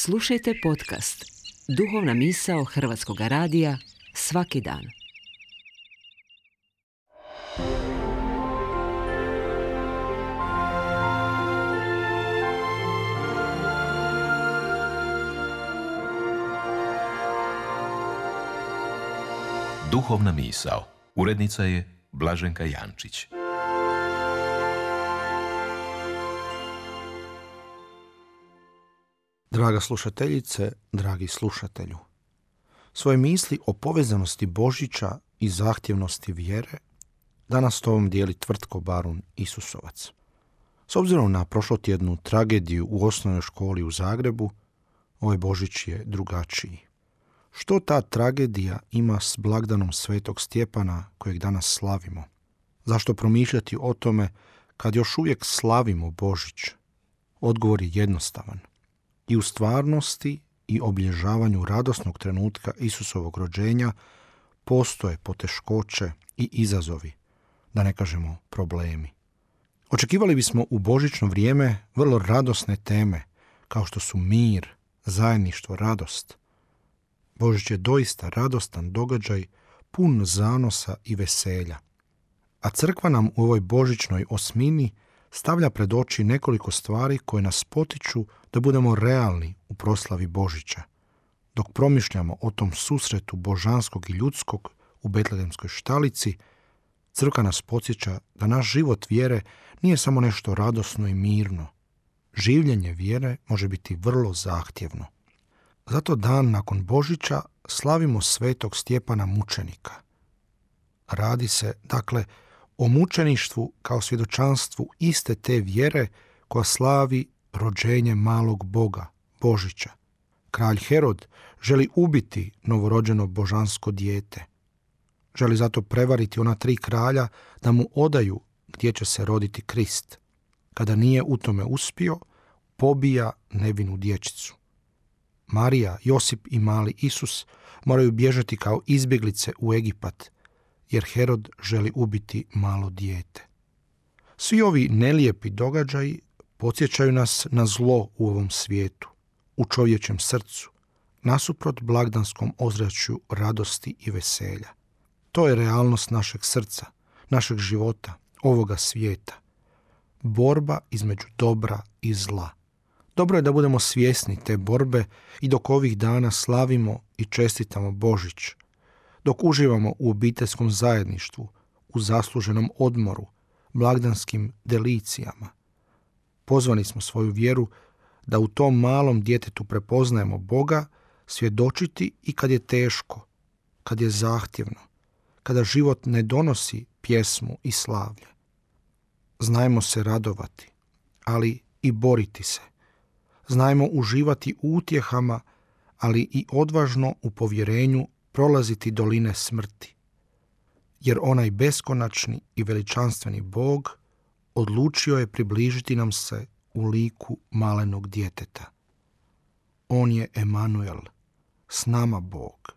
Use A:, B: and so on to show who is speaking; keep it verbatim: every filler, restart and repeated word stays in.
A: Slušajte podcast Duhovna misao Hrvatskog radija svaki dan.
B: Duhovna misao. Urednica je Blaženka Jančić.
C: Draga slušateljice, dragi slušatelju, svoje misli o povezanosti Božića i zahtjevnosti vjere danas s tobom dijeli Tvrtko Barun Isusovac. S obzirom na prošlotjednu tragediju u osnovnoj školi u Zagrebu, ovaj Božić je drugačiji. Što ta tragedija ima s blagdanom Svetog Stjepana kojeg danas slavimo? Zašto promišljati o tome kad još uvijek slavimo Božić? Odgovor je jednostavan. I u stvarnosti i obilježavanju radosnog trenutka Isusovog rođenja postoje poteškoće i izazovi, da ne kažemo problemi. Očekivali bismo u božićno vrijeme vrlo radosne teme, kao što su mir, zajedništvo, radost. Božić je doista radostan događaj, pun zanosa i veselja. A crkva nam u ovoj božićnoj osmini stavlja pred oči nekoliko stvari koje nas potiču da budemo realni u proslavi Božića. Dok promišljamo o tom susretu božanskog i ljudskog u Betlehemskoj štalici, crkva nas podsjeća da naš život vjere nije samo nešto radosno i mirno. Življenje vjere može biti vrlo zahtjevno. Zato dan nakon Božića slavimo Svetog Stjepana mučenika. Radi se, dakle, o mučeništvu kao svjedočanstvu iste te vjere koja slavi rođenje malog Boga, Božića. Kralj Herod želi ubiti novorođeno božansko dijete. Želi zato prevariti ona tri kralja da mu odaju gdje će se roditi Krist. Kada nije u tome uspio, pobija nevinu dječicu. Marija, Josip i mali Isus moraju bježati kao izbjeglice u Egipat, jer Herod želi ubiti malo dijete. Svi ovi nelijepi događaji podsjećaju nas na zlo u ovom svijetu, u čovječjem srcu, nasuprot blagdanskom ozračju radosti i veselja. To je realnost našeg srca, našeg života, ovoga svijeta. Borba između dobra i zla. Dobro je da budemo svjesni te borbe i dok ovih dana slavimo i čestitamo Božić, dok uživamo u obiteljskom zajedništvu, u zasluženom odmoru, blagdanskim delicijama. Pozvani smo svoju vjeru da u tom malom djetetu prepoznajemo Boga, svjedočiti i kad je teško, kad je zahtjevno, kada život ne donosi pjesmu i slavlje. Znajmo se radovati, ali i boriti se. Znajmo uživati u utjehama, ali i odvažno u povjerenju prolaziti doline smrti. Jer onaj beskonačni i veličanstveni Bog odlučio je približiti nam se u liku malenog djeteta. On je Emanuel, s nama Bog.